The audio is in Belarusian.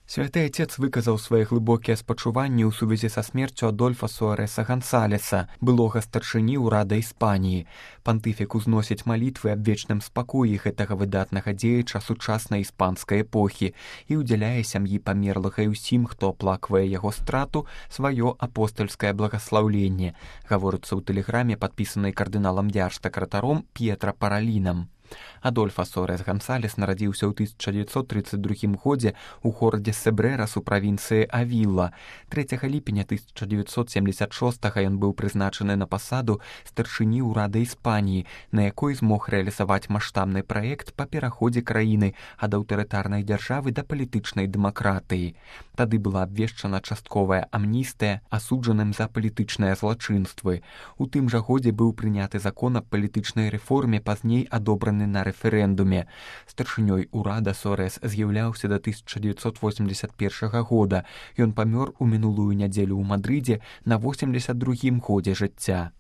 Святы Отец выказаў свае глыбокія спачуванні ў сувязі са смерцю Адольфа Суареса Гансалеса, былога старшыні ўрада Іспаніі. Пантыфік узносіць малітвы аб вечным спакоі гэтага выдатнага дзеяча сучаснай іспанскай эпохі і ўдзяляе сям'і памерлага і ўсім, хто аплаквае яго страту, сваё апостальскае благаслаўленне, гаворыцца ў тэлеграме, падпісанай кардыналам дзярж-сакратаром П'етра Паралінам. Адольфа Суарес Гансалес нарадзіўся ў 1932 годзе ў горадзе Себрерас у правінцыі Авіла. 3 ліпеня 1976 ён быў прызначаны на пасаду старшыні ўрада Іспаніі, на якой змог рэалізаваць маштабны праект па пераходзе краіны ад аўтарытарнай дзяржавы да палітычнай дэмакратыі. Тады была абвешчана частковая амністыя асуджаным за палітычныя злачынствы. У тым жа годзе быў прыняты закон аб палітычнай рэформе, пазней адобраны на рэферэндуме. Старшынёй урада Суарес з'яўляўся да 1981 года. Ён памёр у мінулую нядзелю ў Мадрыдзе на 82-м годзе жыцця.